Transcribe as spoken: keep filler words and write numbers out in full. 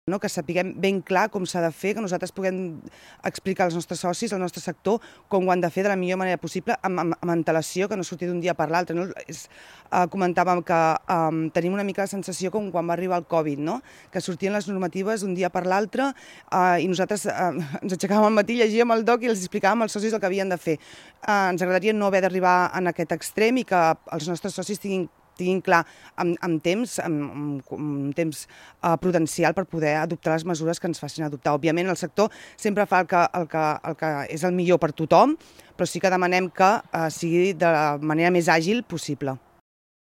No? Que sapiguem ben clar com s'ha de fer, que nosaltres puguem explicar als nostres socis, al nostre sector, com ho han de fer de la millor manera possible, amb, amb, amb antelació, que no surti d'un dia per l'altre. No? És, eh, comentàvem que eh, tenim una mica la sensació com quan va arribar el Covid, no? Que sortien les normatives d'un dia per l'altre eh, i nosaltres eh, ens aixecàvem al matí, llegíem el doc i els explicàvem als socis el que havien de fer. Eh, ens agradaria no haver d'arribar en aquest extrem i que els nostres socis tinguin tinguin clar amb, amb temps, amb, amb, amb temps uh, prudencial per poder adoptar les mesures que ens facin adoptar. Òbviament el sector sempre fa el que, el que, el que és el millor per tothom, però sí que demanem que uh, sigui de la manera més àgil possible.